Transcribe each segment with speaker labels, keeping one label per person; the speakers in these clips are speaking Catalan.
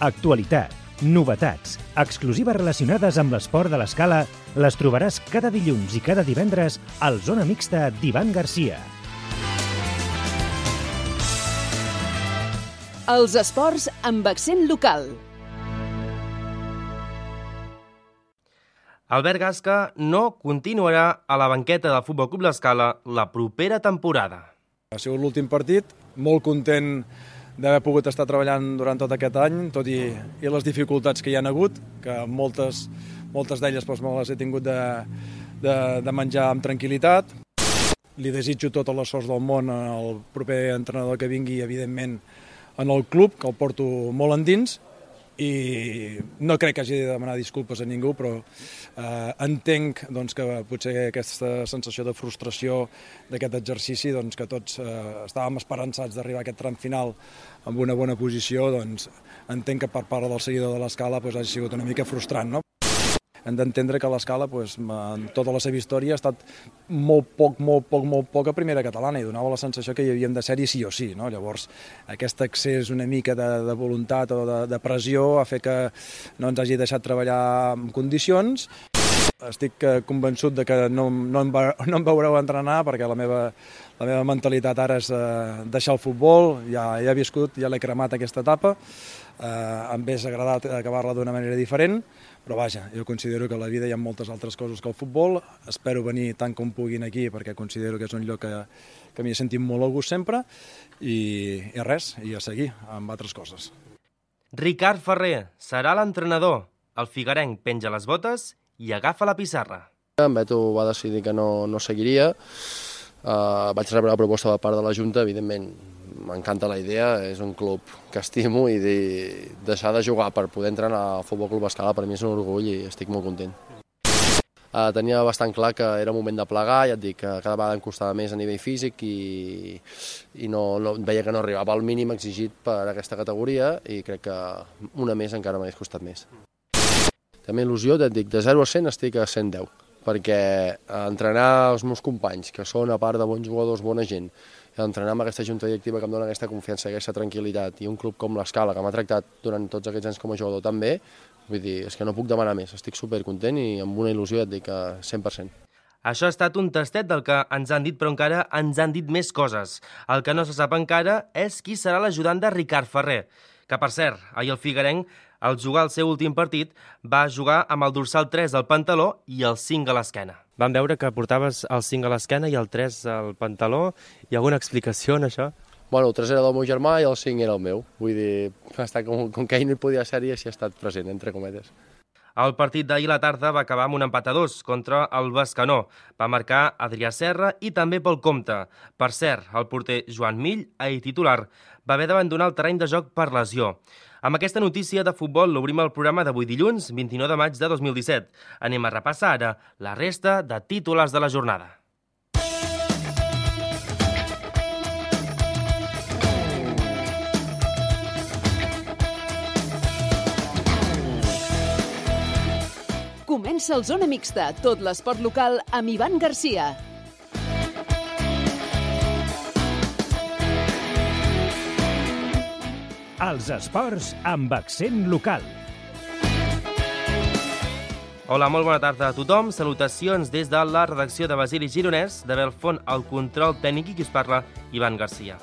Speaker 1: Actualitat, novetats, exclusives relacionades amb l'esport de l'escala les trobaràs cada dilluns i cada divendres al Zona Mixta d'Ivan Garcia.
Speaker 2: Els esports amb accent local.
Speaker 3: Albert Gasca no continuarà a la banqueta del Futbol Club L'Escala la propera temporada.
Speaker 4: Ha sigut l'últim partit, molt content d'haver pogut estar treballant durant tot aquest any, tot i les dificultats que hi han hagut, que moltes d'elles me les he tingut de menjar amb tranquil·litat. Li desitjo totes les sorts del món al proper entrenador que vingui, evidentment, en el club, que el porto molt endins, i no crec que hagi de demanar disculpes a ningú, però entenc que potser aquesta sensació de frustració d'aquest exercici, que tots estàvem esperançats d'arribar a aquest tram final amb una bona posició, entenc que per part del seguidor de l'Escala hagi sigut una mica frustrant, no? Hem d'entendre que l'Escala, en tota la seva història, ha estat molt poc a primera catalana i donava la sensació que hi havíem de ser-hi sí o sí, no? Llavors, aquest excés una mica de voluntat o de pressió ha fet que no ens hagi deixat treballar en condicions. Estic convençut de que no em veureu entrenar perquè la meva mentalitat ara és deixar el futbol, ja he viscut, ja l'he cremat aquesta etapa, em hauria agradat acabar-la d'una manera diferent, però vaja, jo considero que a la vida hi ha moltes altres coses que el futbol, espero venir tant com puguin aquí perquè considero que és un lloc que m'hi he sentit molt a gust sempre i res, i a seguir amb altres coses.
Speaker 3: Ricard Ferrer serà l'entrenador. El figuerenc penja les botes i agafa la pissarra.
Speaker 5: En Beto va decidir que no seguiria. Vaig rebre la proposta per part de la Junta, evidentment m'encanta la idea, és un club que estimo i deixar de jugar per poder entrenar al Futbol Club Escala per mi és un orgull i estic molt content. Tenia bastant clar que era moment de plegar, ja et dic que cada vegada em costava més a nivell físic i veia que no arribava al mínim exigit per aquesta categoria i crec que una més encara m'hagués costat més. També il·lusió, ja et dic, de 0 a 100 estic a 110, perquè entrenar els meus companys, que són a part de bons jugadors, bona gent, entrenar amb aquesta junta directiva que em dona aquesta confiança, aquesta tranquil·litat, i un club com l'Escala, que m'ha tractat durant tots aquests anys com a jugador tan bé, vull dir, és que no puc demanar més, estic supercontent i amb una il·lusió, ja et dic, 100%.
Speaker 3: Això ha estat un tastet del que ens han dit, però encara ens han dit més coses. El que no se sap encara és qui serà l'ajudant de Ricard Ferrer, que, per cert, ahir el figuerenc, al jugar el seu últim partit, va jugar amb el dorsal 3 al pantaló i el 5 a l'esquena. Vam veure que portaves el 5 a l'esquena i el 3 al pantaló. Hi ha alguna explicació en això?
Speaker 5: Bueno, el 3 era del meu germà i el 5 era el meu. Vull dir, com que ell no hi podia ser-hi, així ha estat present, entre cometes.
Speaker 3: El partit d'ahir a la tarda va acabar amb un empat a 2 contra el Bescanó. Va marcar Adrià Serra i també pel compte. Per cert, el porter Joan Mill, ahir titular, va haver d'abandonar el terreny de joc per lesió. Amb aquesta notícia de futbol l'obrim el programa d'avui dilluns, 29 de maig de 2017. Anem a repassar ara la resta de titulars de la jornada.
Speaker 2: Comença el Zona Mixta, tot l'esport local amb Ivan Garcia.
Speaker 1: Els esports amb accent local.
Speaker 3: Hola, molt bona tarda a tothom. Salutacions des de la redacció de Basili Gironès, de Belfont al control tècnic i qui us parla, Ivan Garcia.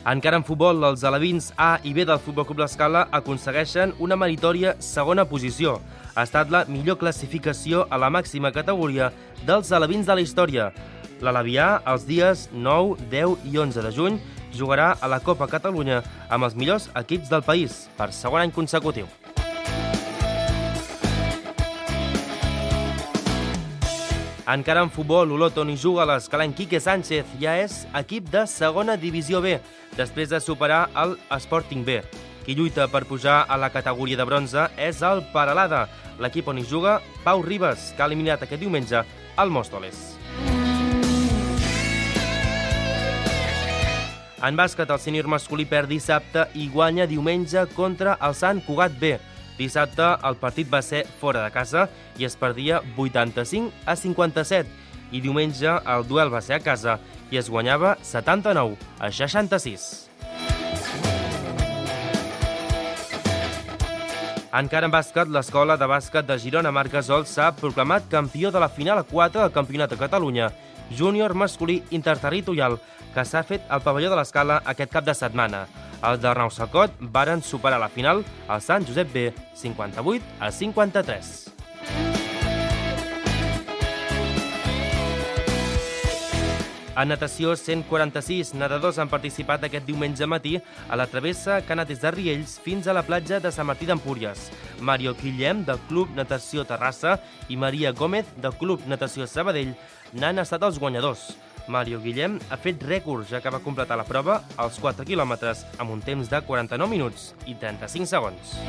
Speaker 3: Encara en futbol, els alevins A i B del Futbol Club L'Escala aconsegueixen una meritòria segona posició. Ha estat la millor classificació a la màxima categoria dels alevins de la història. L'Alavià, els dies 9, 10 i 11 de juny, jugarà a la Copa Catalunya amb els millors equips del país, per segon any consecutiu. Encara en futbol, l'Olot on hi juga l'escalenc Quique Sánchez ja és equip de segona divisió B, després de superar el Sporting B. Qui lluita per pujar a la categoria de bronze és el Peralada, l'equip on hi juga Pau Ribas, que ha eliminat aquest diumenge el Móstoles. En bàsquet, el sènior masculí perd dissabte i guanya diumenge contra el Sant Cugat B. Dissabte el partit va ser fora de casa i es perdia 85-57. i diumenge el duel va ser a casa i es guanyava 79-66. Encara en bàsquet, l'escola de bàsquet de Girona Marc Gasol s'ha proclamat campió de la final a 4 del Campionat de Catalunya júnior masculí interterritorial que s'ha fet al pavelló de l'Escala aquest cap de setmana. Els d'Arnau Sacot varen superar la final al Sant Josep B 58-53. En natació, 146 nedadors han participat aquest diumenge matí a la travessa que ha anat des de Riells fins a la platja de Sant Martí d'Empúries. Mario Guillem, del Club Natació Terrassa, i Maria Gómez, del Club Natació Sabadell, n'han estat els guanyadors. Mario Guillem ha fet rècord, ja que va completar la prova als 4 quilòmetres amb un temps de 49 minuts i 35 segons.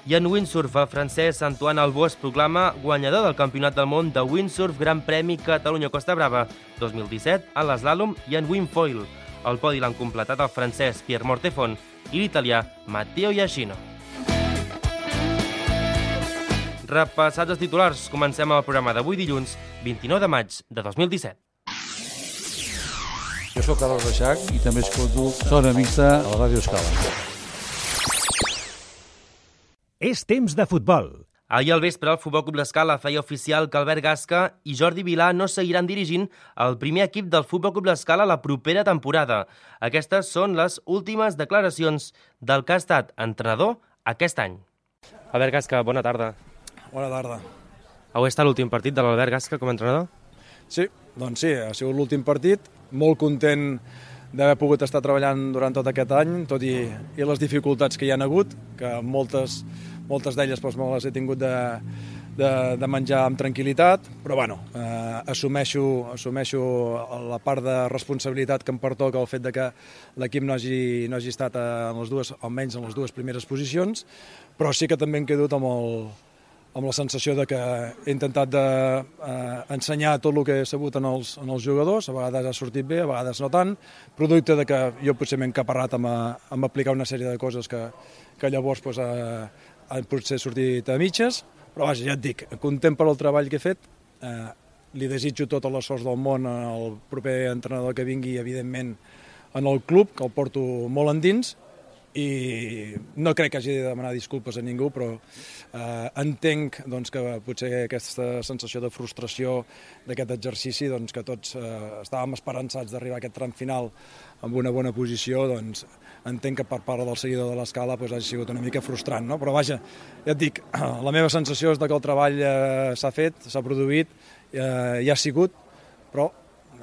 Speaker 3: I en windsurf, el francès Antoine Albó es proclama guanyador del Campionat del Món de Windsurf Gran Premi Catalunya-Costa Brava 2017 en l'eslàlom i en windfoil. El podi l'han completat el francès Pierre Mortefont i l'italià Matteo Iachino. Repassats els titulars, comencem el programa d'avui dilluns, 29 de maig de 2017.
Speaker 6: Jo sóc Carles Reixac i també escolto Zona Mixta a la Ràdio Escala.
Speaker 1: És temps de futbol.
Speaker 3: Ahir al vespre, el Futbol Club l'Escala feia oficial que Albert Gasca i Jordi Vilà no seguiran dirigint el primer equip del Futbol Club l'Escala la propera temporada. Aquestes són les últimes declaracions del que ha estat entrenador aquest any. Albert Gasca, bona tarda.
Speaker 4: Bona tarda.
Speaker 3: Avui està l'últim partit de l'Albert Gasca com a entrenador?
Speaker 4: Sí, doncs sí, ha sigut l'últim partit. Molt content d'haver pogut estar treballant durant tot aquest any, tot i les dificultats que hi ha hagut, que moltes d'elles me les he tingut de menjar amb tranquil·litat, però bueno, assumeixo la part de responsabilitat que em pertoca el fet de que l'equip no hagi estat almenys en les dues primeres posicions, però sí que també em quedo amb la sensació de que he intentat d'ensenyar tot el que he sabut en els jugadors, a vegades ha sortit bé, a vegades no tant, producte de que jo potser m'he encaparrat amb aplicar una sèrie de coses que llavors han potser sortit a mitges, però vaja, ja et dic, content per el treball que he fet, li desitjo totes les sorts del món al proper entrenador que vingui, evidentment, en el club, que el porto molt endins, i no crec que hagi de demanar disculpes a ningú, però entenc que potser aquesta sensació de frustració d'aquest exercici, que tots estàvem esperançats d'arribar a aquest tram final amb una bona posició, entenc que per part del seguidor de l'Escala hagi sigut una mica frustrant, no? Però vaja, ja et dic, la meva sensació és que el treball s'ha fet, s'ha produït, ja ha sigut, però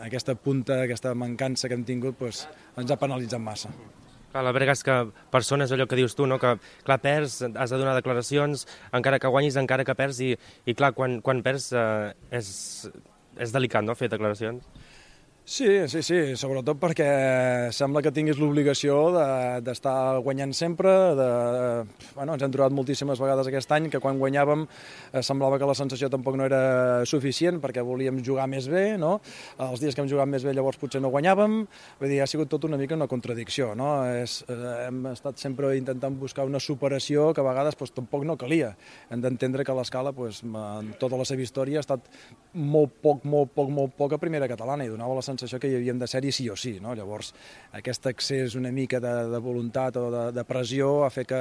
Speaker 4: aquesta punta, aquesta mancança que hem tingut ens ha penalitzat massa.
Speaker 3: Clar, l'Albert Gasca, persona és allò que dius tu, no? Que clar, perds, has de donar declaracions, encara que guanyis, encara que perds, i clar, quan perds és delicat, no?, fer declaracions.
Speaker 4: Sí, sobretot perquè sembla que tinguis l'obligació d'estar guanyant sempre. Ens hem trobat moltíssimes vegades aquest any que quan guanyàvem semblava que la sensació tampoc no era suficient perquè volíem jugar més bé, no? Els dies que hem jugat més bé llavors potser no guanyàvem. Vull dir, ha sigut tot una mica una contradicció, no? Hem estat sempre intentant buscar una superació que a vegades tampoc no calia. Hem d'entendre que l'Escala, en tota la seva història, ha estat molt poc a primera catalana i donava la sensació que hi havíem de ser-hi sí o sí, no? Llavors, aquest excés una mica de voluntat o de pressió ha fet que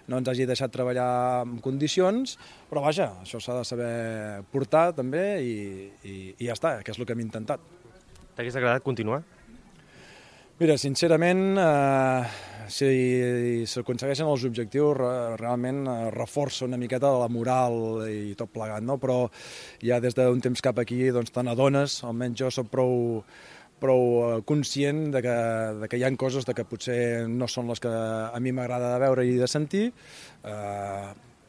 Speaker 4: no ens hagi deixat treballar en condicions, però vaja, això s'ha de saber portar també i ja està, que és el que hem intentat.
Speaker 3: T'hagués agradat continuar?
Speaker 4: Mira, sincerament, si s'aconsegueixen els objectius, realment reforça una miqueta la moral i tot plegat, no? Però ja des d'un temps cap aquí te n'adones, almenys jo soc prou conscient de que hi ha coses que potser no són les que a mi m'agrada de veure i de sentir.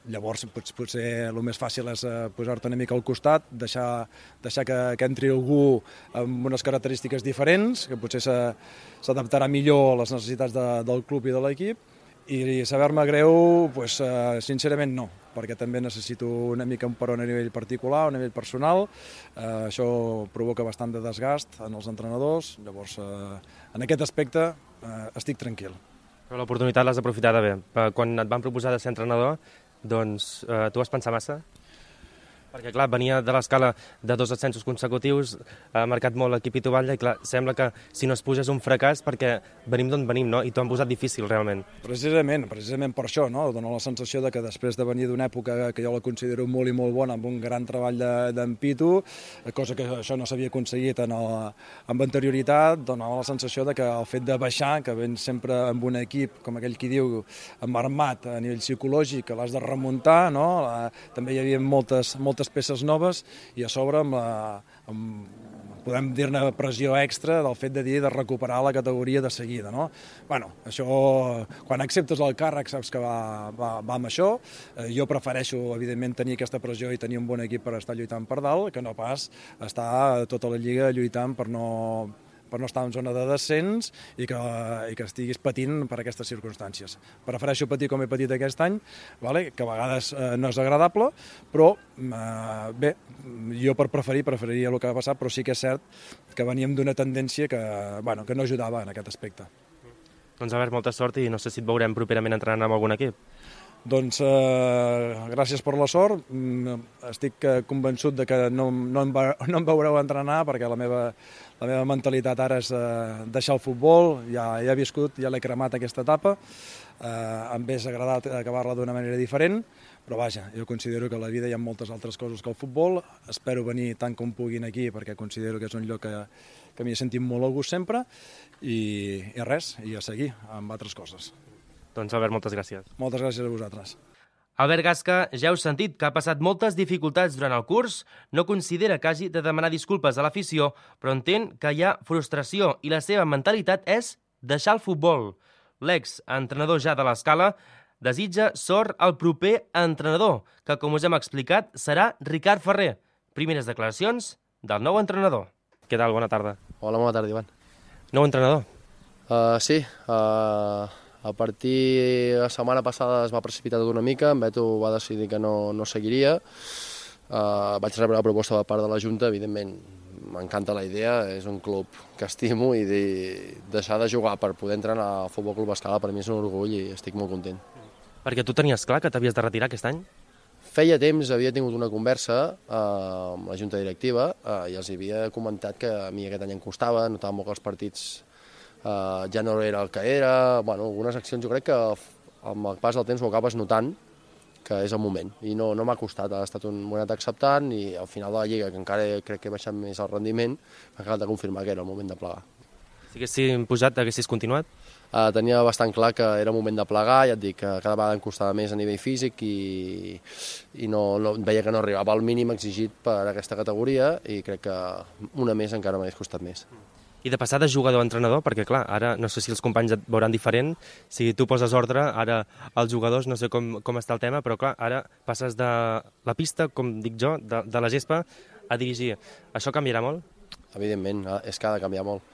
Speaker 4: Llavors, potser el més fàcil és posar-te una mica al costat, deixar que entri algú amb unes característiques diferents, que potser s'adaptarà millor a les necessitats del club i de l'equip, i saber-me greu, sincerament no, perquè també necessito una mica un peron a nivell particular, a nivell personal. Això provoca bastant de desgast en els entrenadors, llavors en aquest aspecte estic tranquil.
Speaker 3: Però l'oportunitat l'has aprofitada bé. Quan et van proposar de ser entrenador, doncs tu vas pensar massa? Perquè, clar, venia de l'escala de 2 ascensos consecutius, ha marcat molt l'equip Ituballa i, clar, sembla que si no es puja és un fracàs perquè venim d'on venim, no? I t'ho han posat difícil, realment.
Speaker 4: Precisament per això, no? Dóna la sensació de que després de venir d'una època que jo la considero molt i molt bona, amb un gran treball d'en Pitu, cosa que això no s'havia aconseguit amb anterioritat, donava la sensació de que el fet de baixar, que vens sempre amb un equip, com aquell qui diu, amarmat a nivell psicològic, que l'has de remuntar, no? També hi havia moltes peces noves i a sobre podem dir-ne pressió extra del fet de recuperar la categoria de seguida, no? Bueno, això, quan acceptes el càrrec saps que va amb això. Jo prefereixo, evidentment, tenir aquesta pressió i tenir un bon equip per estar lluitant per dalt, que no pas estar tota la lliga lluitant per no estar en zona de descens i que estiguis patint per aquestes circumstàncies. Prefereixo patir com he patit aquest any, que a vegades no és agradable, però bé, jo preferiria el que va passar, però sí que és cert que veníem d'una tendència que no ajudava en aquest aspecte.
Speaker 3: Doncs Albert, molta sort i no sé si et veurem properament entrenant amb algun equip.
Speaker 4: Doncs gràcies per la sort. Estic convençut de que no em veureu entrenar perquè la meva mentalitat ara és deixar el futbol. Ja he viscut, ja l'he cremat aquesta etapa. Em hauria agradat acabar-la d'una manera diferent, però vaja, jo considero que a la vida hi ha moltes altres coses que el futbol. Espero venir tant com puguin aquí perquè considero que és un lloc que m'hi he sentit molt a gust sempre i res, i a seguir amb altres coses.
Speaker 3: Doncs Albert, moltes gràcies.
Speaker 4: Moltes gràcies a vosaltres.
Speaker 3: Albert Gasca, ja heu sentit que ha passat moltes dificultats durant el curs, no considera que hagi de demanar disculpes a l'afició, però entén que hi ha frustració i la seva mentalitat és deixar el futbol. L'ex-entrenador ja de l'Escala desitja sort al proper entrenador, que, com us hem explicat, serà Ricard Ferrer. Primeres declaracions del nou entrenador. Què tal? Bona tarda.
Speaker 5: Hola, bona tarda, Ivan.
Speaker 3: Nou entrenador?
Speaker 5: Sí, a partir de la setmana passada es va precipitar tot una mica, en Beto va decidir que no seguiria, vaig rebre la proposta de part de la Junta, evidentment m'encanta la idea, és un club que estimo i deixar de jugar per poder entrenar al Futbol Club Escala per mi és un orgull i estic molt content.
Speaker 3: Perquè tu tenies clar que t'havies de retirar aquest any?
Speaker 5: Feia temps havia tingut una conversa amb la Junta Directiva i els havia comentat que a mi aquest any em costava, notava molt que els partits ja no era el que era, algunes accions jo crec que amb el pas del temps ho acabes notant que és el moment i no m'ha costat, ha estat un moment acceptant i al final de la Lliga, que encara crec que he baixat més el rendiment, m'ha acabat de confirmar que era el moment de plegar.
Speaker 3: Si haguessis pujat, haguessis continuat?
Speaker 5: Tenia bastant clar que era moment de plegar, ja et dic que cada vegada em costava més a nivell físic i no veia que no arribava al mínim exigit per aquesta categoria i crec que una més encara m'hagués costat més.
Speaker 3: I de passar de jugador a entrenador, perquè clar, ara no sé si els companys et veuran diferent, si tu poses ordre, ara els jugadors, no sé com està el tema, però clar, ara passes de la pista, com dic jo, de la gespa, a dirigir. Això canviarà molt?
Speaker 5: Evidentment, és que ha de canviar molt,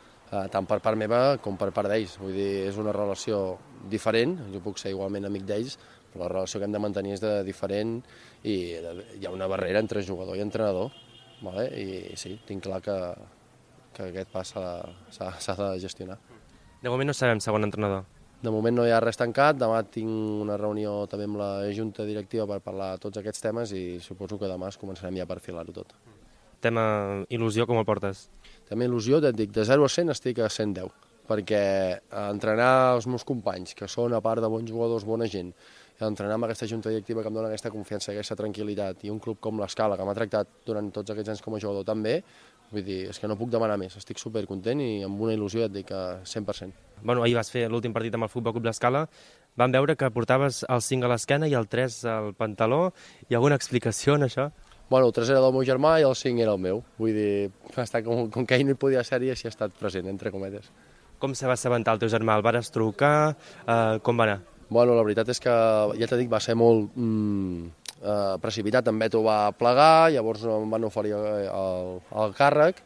Speaker 5: tant per part meva com per part d'ells. Vull dir, és una relació diferent, jo puc ser igualment amic d'ells, però la relació que hem de mantenir és diferent i hi ha una barrera entre jugador i entrenador, i sí, tinc clar que aquest pas s'ha de gestionar.
Speaker 3: De moment no sabem segon entrenador.
Speaker 5: De moment no hi ha res tancat, demà tinc una reunió també amb la Junta Directiva per parlar de tots aquests temes i suposo que demà començarem ja a perfilar-ho tot.
Speaker 3: Tema il·lusió, com el portes?
Speaker 5: També il·lusió, et dic, de 0 a 100 estic a 110, perquè entrenar els meus companys, que són a part de bons jugadors, bona gent, i entrenar amb aquesta Junta Directiva que em dona aquesta confiança, aquesta tranquil·litat, i un club com l'Escala, que m'ha tractat durant tots aquests anys com a jugador també, vull dir, és que no puc demanar més, estic supercontent i amb una il·lusió et dic que 100%.
Speaker 3: Bueno, ahir vas fer l'últim partit amb el Futbol Club l'Escala, vam veure que portaves el 5 a l'esquena i el 3 al pantaló, hi ha alguna explicació en això?
Speaker 5: Bueno, el 3 era del meu germà i el 5 era el meu, vull dir, com que ell no hi podia ser i així ha estat present, entre cometes.
Speaker 3: Com se va assabentar el teu germà? El vares trucar? Com va anar?
Speaker 5: Bueno, la veritat és que, ja t'he dit, va ser molt precipitat, en Beto va plegar, llavors em van oferir el càrrec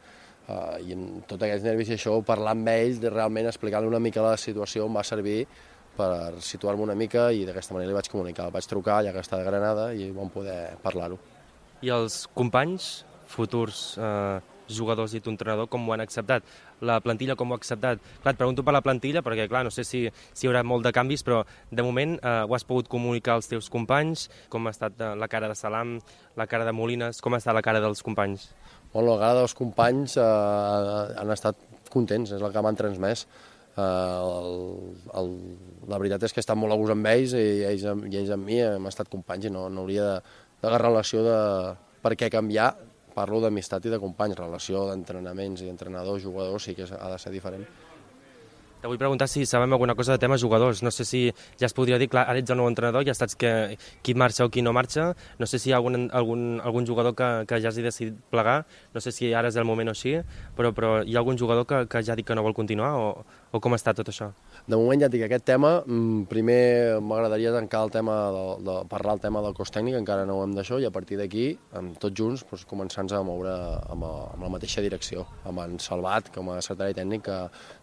Speaker 5: i amb tots aquests nervis i això, parlar amb ells, realment explicar-li una mica la situació em va servir per situar-me una mica i d'aquesta manera li vaig comunicar. El vaig trucar, ja que està de Granada, i vam poder parlar-ho.
Speaker 3: I els companys futurs jugadors i tu entrenador, com ho han acceptat? La plantilla com ho ha acceptat? Clar, et pregunto per la plantilla, perquè clar, no sé si hi haurà molt de canvis, però de moment ho has pogut comunicar als teus companys? Com ha estat la cara de Salam, la cara de Molines, com ha estat la cara dels companys?
Speaker 5: Bueno, la cara dels companys han estat contents, és el que m'han transmès. La veritat és que he estat molt a gust amb ells i ells amb mi hem estat companys i no hauria de relació de per què canviar. Parlo d'amistat i de companys, relació d'entrenaments i d'entrenadors, jugadors, sí que ha de ser diferent.
Speaker 3: Te vull preguntar si sabem alguna cosa de temes jugadors. No sé si ja es podria dir, clar, ara ets el nou entrenador, ja saps qui marxa o qui no marxa. No sé si hi ha algun jugador que ja hagi decidit plegar. No sé si ara és el moment o així, però hi ha algun jugador que ja ha dit que no vol continuar o com està tot això?
Speaker 5: De moment ja et dic, aquest tema, primer m'agradaria tancar el tema, parlar el tema del cos tècnic, encara no ho hem d'això, i a partir d'aquí, tots junts, començar-nos a moure amb la mateixa direcció, amb en Salvat, com a secretari tècnic, que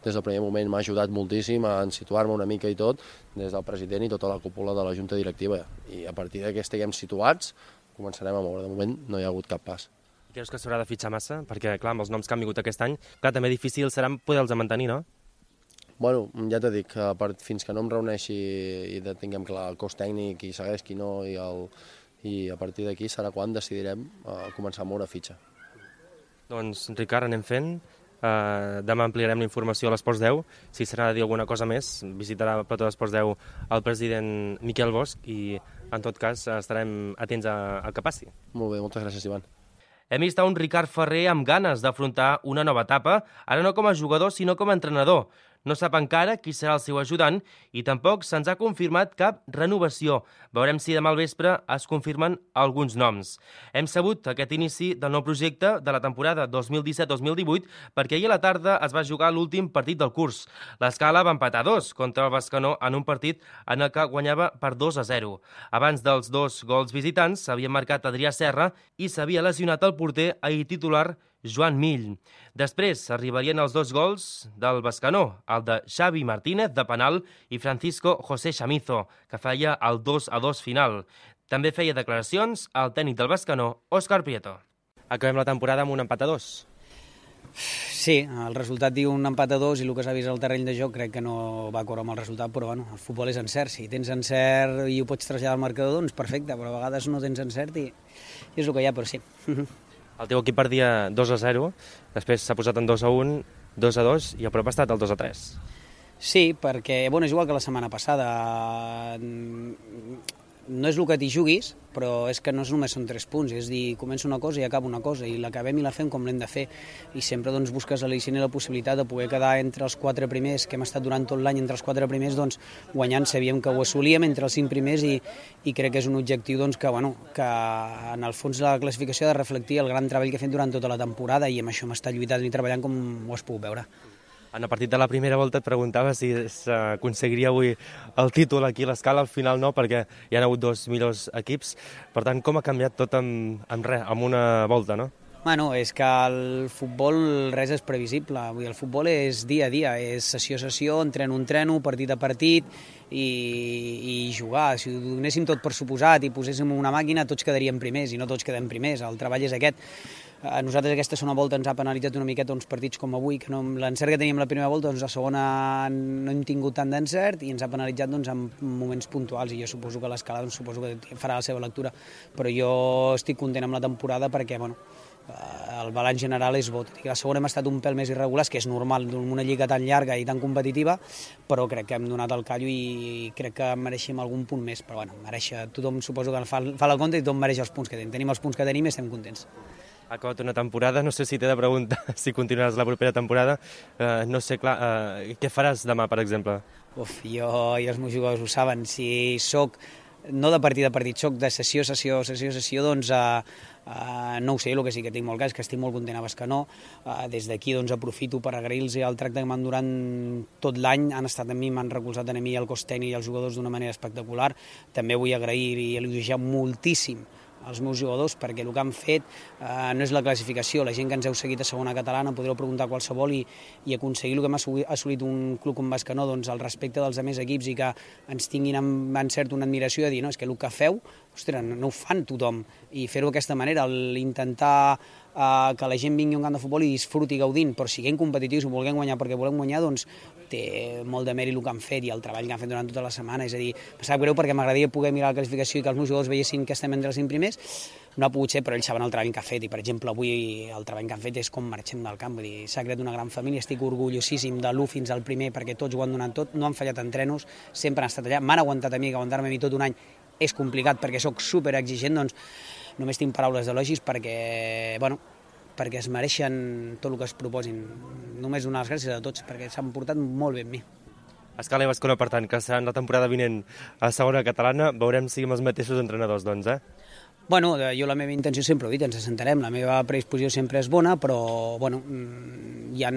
Speaker 5: des del primer moment m'ha ajudat moltíssim a situar-me una mica i tot, des del president i tota la cúpula de la Junta Directiva. I a partir que estiguem situats, començarem a moure. De moment no hi ha hagut cap pas.
Speaker 3: Creus que s'haurà de fitxar massa? Perquè, clar, amb els noms que han vingut aquest any, clar, també difícil serà poder-los mantenir, no?
Speaker 5: Bueno, ja t'he dit, fins que no em reuneixi i tinguem clar el cos tècnic, qui segueix, qui no, i a partir d'aquí serà quan decidirem començar a moure fitxa.
Speaker 3: Doncs, Ricard, anem fent. Demà ampliarem la informació a l'Esports 10. Si serà de dir alguna cosa més, visitarà el plató d'Esports 10 el president Miquel Bosch i, en tot cas, estarem atents al que passi.
Speaker 5: Molt bé, moltes gràcies, Ivan.
Speaker 3: Hem vist un Ricard Ferrer amb ganes d'afrontar una nova etapa, ara no com a jugador, sinó com a entrenador. No sap encara qui serà el seu ajudant i tampoc se'ns ha confirmat cap renovació. Veurem si demà al vespre es confirmen alguns noms. Hem sabut aquest inici del nou projecte de la temporada 2017-2018 perquè ahir a la tarda es va jugar l'últim partit del curs. L'Escala va empatar 2 contra el Bescanó en un partit en el que guanyava per 2-0. Abans dels 2 gols visitants s'havia marcat Adrià Serra i s'havia lesionat el porter ahir titular Joan Mill. Després arribarien els 2 gols del Bescanó, el de Xavi Martínez de penal i Francisco José Chamizo, que feia el 2-2 final. També feia declaracions el tècnic del Bescanó, Òscar Prieto. Acabem la temporada amb un empat a 2.
Speaker 7: Sí, el resultat diu un empat a 2 i el que s'ha vist al terreny de joc crec que no va córrer amb el resultat, però bueno, el futbol és encert. Si tens encert i ho pots traslladar al marcador, doncs perfecte, però a vegades no tens encert i és el que hi ha, però sí.
Speaker 3: El teu equip perdia 2-0, després s'ha posat en 2-1, 2-2 i a prop ha estat el 2-3.
Speaker 7: Sí, perquè bueno, és igual que la setmana passada. No és el que t'hi juguis, però és que no només són 3 punts, és dir, comença una cosa i acaba una cosa, i l'acabem i la fem com l'hem de fer. I sempre doncs, busques l'al·licient i la possibilitat de poder quedar entre els 4 primers, que hem estat durant tot l'any entre els 4 primers, doncs, guanyant sabíem que ho assolíem entre els 5 primers i crec que és un objectiu doncs, que en el fons la classificació ha de reflectir el gran treball que he fet durant tota la temporada i amb això m'està lluitant i treballant com ho has pogut veure.
Speaker 3: En el partit de la primera volta et preguntava si s'aconseguiria avui el títol aquí a l'Escala, al final no, perquè hi ha hagut 2 millors equips. Per tant, com ha canviat tot amb una volta, no?
Speaker 7: Bueno, és que el futbol res és previsible. Vull dir, el futbol és dia a dia, és sessió a sessió, entreno, partit a partit i jugar. Si ho donéssim tot per suposat i poséssim una màquina, tots quedaríem primers i no tots quedem primers. El treball és aquest. A nosaltres aquesta segona volta ens ha penalitzat una miqueta uns partits com avui, que l'encert que teníem la primera volta, doncs la segona no hem tingut tant d'encert i ens ha penalitzat doncs, en moments puntuals, i jo suposo que l'Escala suposo que farà la seva lectura, però jo estic content amb la temporada perquè el balanç general és bo. La segona hem estat un pèl més irregulars, que és normal en una lliga tan llarga i tan competitiva, però crec que hem donat el callo i crec que mereixem algun punt més, però bueno, tothom suposo que fa el compte i tothom mereix els punts que tenim. Tenim els punts que tenim i estem contents.
Speaker 3: Ha acabat una temporada, no sé si t'he de preguntar si continuaràs la propera temporada. No sé, clar, què faràs demà, per exemple?
Speaker 7: Jo i els meus jugadors ho saben. Si soc, no de partit a partit, soc de sessió a sessió, doncs no ho sé, el que sí que tinc molt clar és que estic molt content a Bescanó. Des d'aquí doncs aprofito per agrair-los el tracte que m'han durant tot l'any, han estat amb mi, m'han recolzat a mi, el cos tècnic i els jugadors d'una manera espectacular. També vull agrair i elogiar moltíssim als meus jugadors, perquè el que han fet no és la classificació. La gent que ens heu seguit a segona catalana podreu preguntar qualsevol i aconseguir el que m'ha assolit un club com Bescanó, doncs el respecte dels altres equips i que ens tinguin amb encert una admiració de dir, no, és que el que feu, ostres, no ho fan tothom, i fer-ho d'aquesta manera, intentar que la gent vingui a un camp de futbol i disfruti gaudint, però siguem competitius i volguem guanyar perquè volem guanyar, doncs té molt de mèrit el que han fet i el treball que han fet durant tota la setmana. És a dir, em sap greu perquè m'agradaria poder mirar la classificació i que els meus jugadors veiessin que estem entre els 5 primers. No ha pogut ser, però ells saben el treball que ha fet i, per exemple, avui el treball que han fet és com marxem del camp. Vull dir, s'ha creat una gran família, estic orgullosíssim de l'1 fins al primer perquè tots ho han donat tot, no han fallat entrenos, sempre han estat allà, m'han aguantat a mi, que aguantar-me a mi tot un any és complicat perquè sóc superexigent, doncs només tinc paraules d'elogis perquè, perquè es mereixen tot el que es proposin. Només donar les gràcies a tots perquè s'han portat molt bé amb mi.
Speaker 3: Escala i Bascona, per tant, que seran la temporada vinent a segona catalana, veurem si amb els mateixos entrenadors, doncs,
Speaker 7: Bueno, jo la meva intenció sempre ho he dit, ens assentarem, la meva predisposició sempre és bona, però hi ha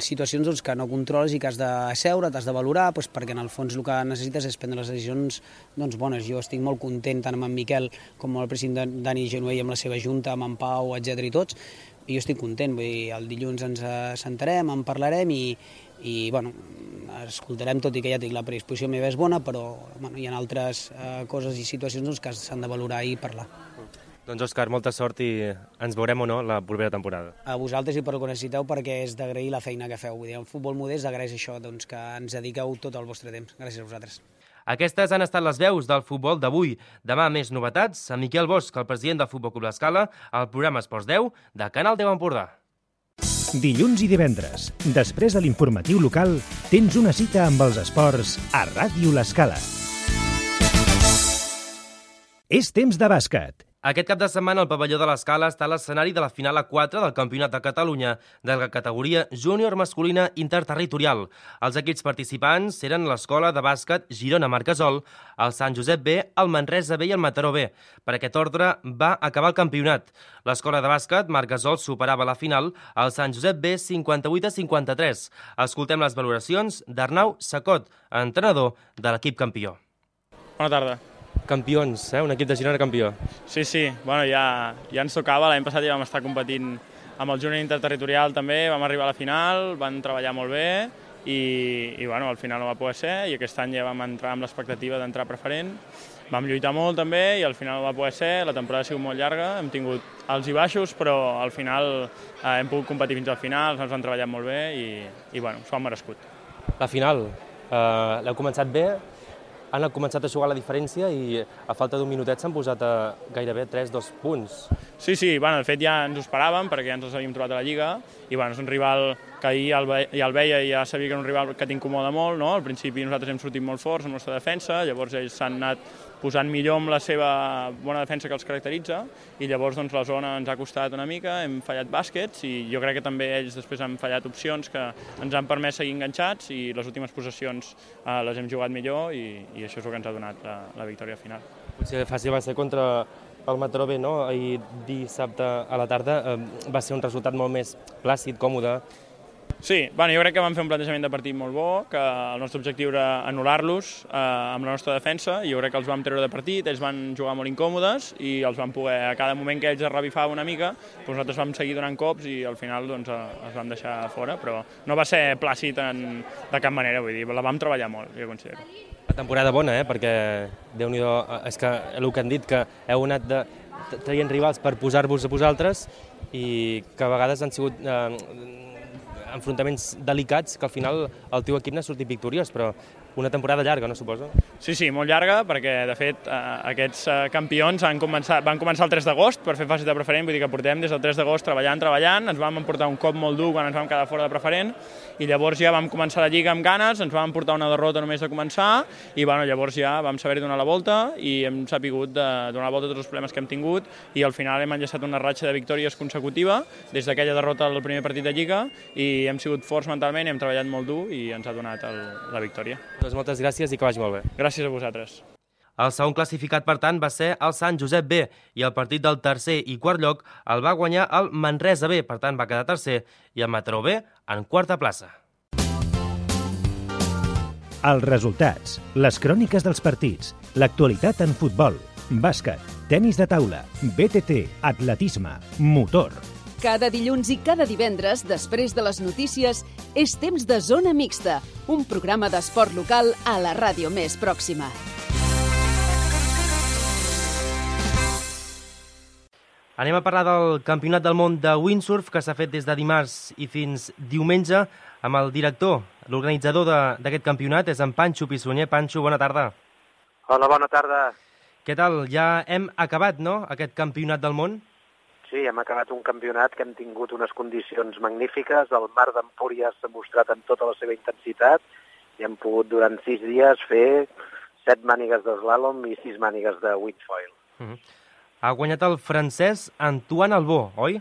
Speaker 7: situacions doncs, que no controles i que has de seure, t'has de valorar, doncs, perquè en el fons el que necessites és prendre les decisions doncs, bones. Jo estic molt content tant amb en Miquel com amb el president Dani Genuell, amb la seva junta, amb en Pau, etc i tots, i jo estic content. Vull dir, el dilluns ens assentarem, en parlarem i escoltarem, tot i que ja dic, la predisposició meva és bona, però hi ha altres coses i situacions doncs, que s'han de valorar i parlar.
Speaker 3: Doncs Òscar, molta sort i ens veurem o no la propera temporada.
Speaker 7: A vosaltres i per el que necessiteu, perquè és d'agrair la feina que feu. Vull dir, en futbol modest agraeix això, doncs, que ens dediqueu tot el vostre temps. Gràcies a vosaltres.
Speaker 3: Aquestes han estat les veus del futbol d'avui. Demà més novetats amb Miquel Bosch, el president del Futbol Club L'Escala, al programa Esports 10 de Canal 10 Empordà.
Speaker 1: Dilluns i divendres, després de l'informatiu local, tens una cita amb els esports a Ràdio L'Escala. És temps de bàsquet.
Speaker 3: Aquest cap de setmana el pavelló de l'Escala està a l'escenari de la final A4 del Campionat de Catalunya de la categoria júnior masculina interterritorial. Els equips participants eren l'Escola de Bàsquet Girona Marquesol, el Sant Josep B, el Manresa B i el Mataró B. Per aquest ordre va acabar el campionat. L'Escola de Bàsquet Marquesol superava la final al Sant Josep B 58-53. Escoltem les valoracions d'Arnau Sacot, entrenador de l'equip campió.
Speaker 8: Bona tarda.
Speaker 3: Campions, un equip de Girona campió.
Speaker 8: Sí, bueno, ja ens tocava. L'any passat ja vam estar competint amb el júnior interterritorial també, vam arribar a la final, van treballar molt bé i bueno, al final no va poder ser i aquest any ja vam entrar amb l'expectativa d'entrar preferent. Vam lluitar molt també i al final no va poder ser, la temporada ha sigut molt llarga, hem tingut alts i baixos, però al final hem pogut competir fins al final, ens han treballat molt bé i bueno, s'ho han merescut.
Speaker 3: La final, l'heu començat bé, han començat a jugar la diferència i a falta d'un minutet s'han posat a gairebé 3-2 punts.
Speaker 8: Sí, bueno, de fet ja ens ho esperàvem perquè ja ens els havíem trobat a la Lliga i bueno, és un rival que ahir ja el veia i ja sabia que era un rival que t'incomoda molt, no? Al principi nosaltres hem sortit molt forts amb la nostra defensa, llavors ells s'han anat posant millor amb la seva bona defensa que els caracteritza i llavors doncs, la zona ens ha costat una mica, hem fallat bàsquets i jo crec que també ells després han fallat opcions que ens han permès seguir enganxats i les últimes possessions les hem jugat millor i això és el que ens ha donat la victòria final.
Speaker 3: Potser fàcil va ser contra el Mataró B, no? Ahir dissabte a la tarda va ser un resultat molt més plàcid, còmode.
Speaker 8: Sí, bueno, jo crec que vam fer un plantejament de partit molt bo, que el nostre objectiu era anul·lar-los amb la nostra defensa, i jo crec que els vam treure de partit, ells van jugar molt incòmodes i els vam poder, a cada moment que ells es revifaven una mica, doncs nosaltres vam seguir donant cops i al final doncs, els vam deixar fora, però no va ser plàcid de cap manera, vull dir, la vam treballar molt, jo considero.
Speaker 3: La temporada bona, perquè Déu-n'hi-do, és que el que han dit, que heu anat traient rivals per posar-vos a vosaltres i que a vegades han sigut enfrontaments delicats que al final el teu equip n'ha sortit victoriós, però una temporada llarga, no suposo?
Speaker 8: Sí, molt llarga, perquè de fet aquests campions van començar el 3 d'agost per fer fase de preferent, vull dir que portem des del 3 d'agost treballant, ens vam emportar un cop molt dur quan ens vam quedar fora de preferent i llavors ja vam començar la Lliga amb ganes, ens vam emportar una derrota només de començar i bueno, llavors ja vam saber donar la volta i hem sapigut donar la volta a tots els problemes que hem tingut i al final hem enllaçat una ratxa de victòries consecutiva des d'aquella derrota al primer partit de Lliga i hem sigut forts mentalment, hem treballat molt dur i ens ha donat la victòria.
Speaker 3: Doncs moltes gràcies i que vagi molt bé.
Speaker 8: Gràcies a vosaltres.
Speaker 3: El segon classificat, per tant, va ser el Sant Josep B i el partit del tercer i quart lloc el va guanyar el Manresa B, per tant va quedar tercer, i el Mataró B en quarta plaça.
Speaker 1: Els resultats, les cròniques dels partits, l'actualitat en futbol, bàsquet, tenis de taula, BTT, atletisme, motor.
Speaker 2: Cada dilluns i cada divendres, després de les notícies, és temps de Zona Mixta, un programa d'esport local a la ràdio més pròxima.
Speaker 3: Anem a parlar del Campionat del Món de Windsurf, que s'ha fet des de dimarts i fins diumenge, amb el director, l'organitzador d'aquest campionat, és en Pancho Pissunyer. Pancho, bona tarda.
Speaker 9: Hola, bona tarda.
Speaker 3: Què tal? Ja hem acabat, no?, aquest Campionat del Món?
Speaker 9: Sí, hem acabat un campionat que hem tingut unes condicions magnífiques. El mar d'Empúries s'ha mostrat en tota la seva intensitat i hem pogut durant 6 dies fer 7 mànigues d'eslàlom i 6 mànigues de windfoil.
Speaker 3: Ha guanyat el francès Antoine Albó, oi?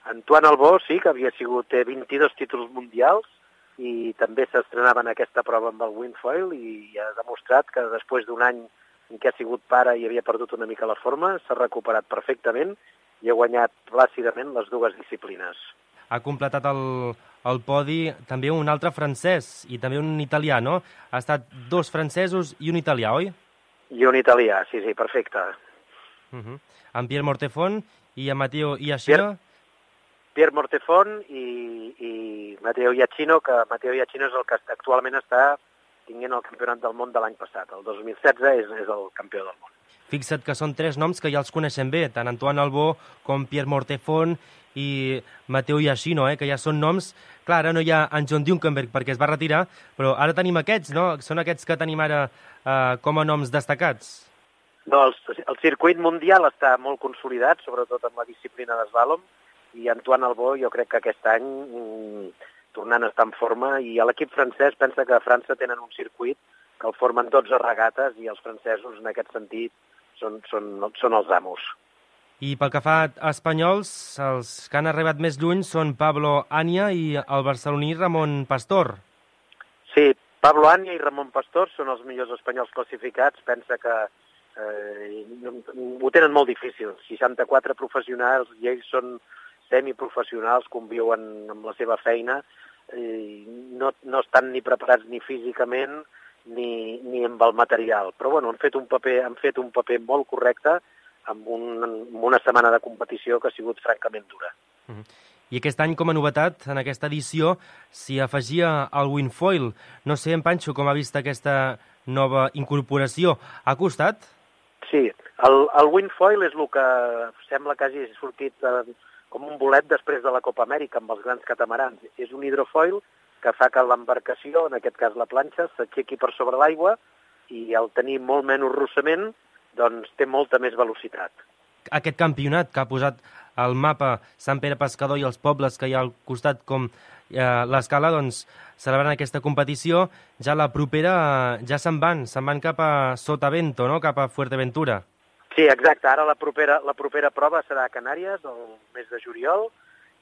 Speaker 9: Antoine Albó, sí, que havia sigut 22 títols mundials i també s'estrenava en aquesta prova amb el windfoil i ha demostrat que després d'un any en què ha sigut pare i havia perdut una mica la forma, s'ha recuperat perfectament i ha guanyat plàcidament les dues disciplines.
Speaker 3: Ha completat el podi també un altre francès i també un italià, no? Ha estat 2 francesos i un italià, oi?
Speaker 9: I un italià, sí, perfecte.
Speaker 3: En Pierre Mortefon i en Matteo Iachino.
Speaker 9: Pierre Mortefon i Matteo Iachino, que Matteo Iachino és el que actualment està tinguent el campionat del món de l'any passat. El 2016 és el campió del món.
Speaker 3: Fixa't que són 3 noms que ja els coneixem bé, tant Antoine Albó com Pierre Mortefon i Matteo Iachino, que ja són noms... Clar, ara no hi ha en John Dunkenberg perquè es va retirar, però ara tenim aquests, no? Són aquests que tenim ara com a noms destacats.
Speaker 9: No, el circuit mundial està molt consolidat, sobretot en la disciplina d'eslàlom, i Antoine Albó jo crec que aquest any tornant a estar en forma, i l'equip francès pensa que a França tenen un circuit que el formen 12 regates i els francesos en aquest sentit són els amos.
Speaker 3: I pel que fa a espanyols, els que han arribat més lluny són Pablo Ania i el barceloní Ramon Pastor. Sí,
Speaker 9: Pablo Ania i Ramon Pastor són els millors espanyols classificats. Pensa que ho tenen molt difícil. 64 professionals i ells són semiprofessionals, conviuen amb la seva feina, no estan ni preparats ni físicament ni amb el material. Però bueno, han fet un paper molt correcte amb una setmana de competició que ha sigut francament dura.
Speaker 3: I aquest any, com a novetat, en aquesta edició, s'hi afegia el windfoil. No sé, en Pancho, com ha vist aquesta nova incorporació. Ha costat?
Speaker 9: Sí, el windfoil és el que sembla que hagi sortit com un bolet després de la Copa Amèrica amb els grans catamarans. És un hidrofoil que fa que l'embarcació, en aquest cas la planxa, s'aixequi per sobre l'aigua i al tenir molt menys rossament, doncs té molta més velocitat.
Speaker 3: Aquest campionat que ha posat al mapa Sant Pere Pescador i els pobles que hi ha al costat com l'Escala, doncs celebrant aquesta competició, ja la propera ja se'n van cap a Sotavento, no? Cap a Fuerteventura.
Speaker 9: Sí, exacte. Ara la propera prova serà a Canàries, el mes de juliol,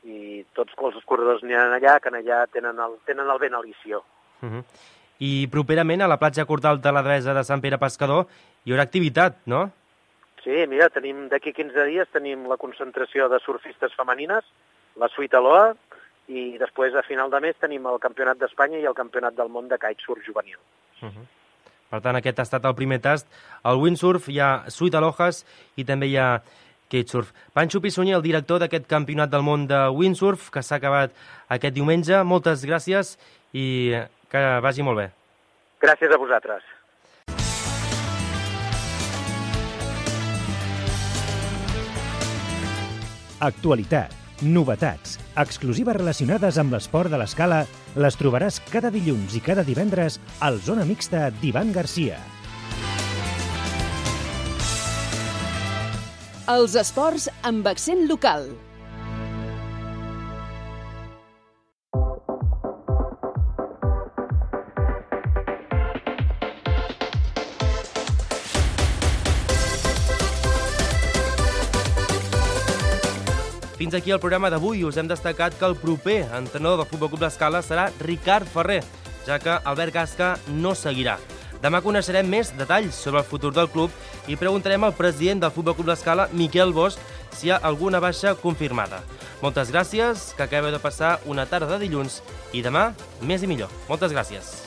Speaker 9: i tots els corredors aniran allà, que allà tenen el vent alício.
Speaker 3: I properament a la platja Cortal de la Devesa de Sant Pere Pescador hi haurà activitat, no?
Speaker 9: Sí, mira, d'aquí 15 dies tenim la concentració de surfistes femenines, la Suite Aloha, i després a final de mes tenim el Campionat d'Espanya i el Campionat del món de kitesurf juvenil.
Speaker 3: Per tant, aquest ha estat el primer tast. Al windsurf hi ha Suite Alojas i també hi ha kitesurf. Pancho Pissunyer, el director d'aquest Campionat del món de windsurf, que s'ha acabat aquest diumenge. Moltes gràcies i que vagi molt bé.
Speaker 9: Gràcies a vosaltres.
Speaker 1: Actualitat, novetats, exclusives relacionades amb l'esport de l'escala les trobaràs cada dilluns i cada divendres al Zona Mixta d'Ivan Garcia.
Speaker 2: Els esports amb accent local.
Speaker 3: Fins aquí el programa d'avui. Us hem destacat que el proper entrenador del Futbol Club l'Escala serà Ricard Ferrer, ja que Albert Gasca no seguirà. Demà coneixerem més detalls sobre el futur del club i preguntarem al president del Futbol Club l'Escala, Miquel Bosch, si hi ha alguna baixa confirmada. Moltes gràcies, que acabeu de passar una tarda de dilluns i demà més i millor. Moltes gràcies.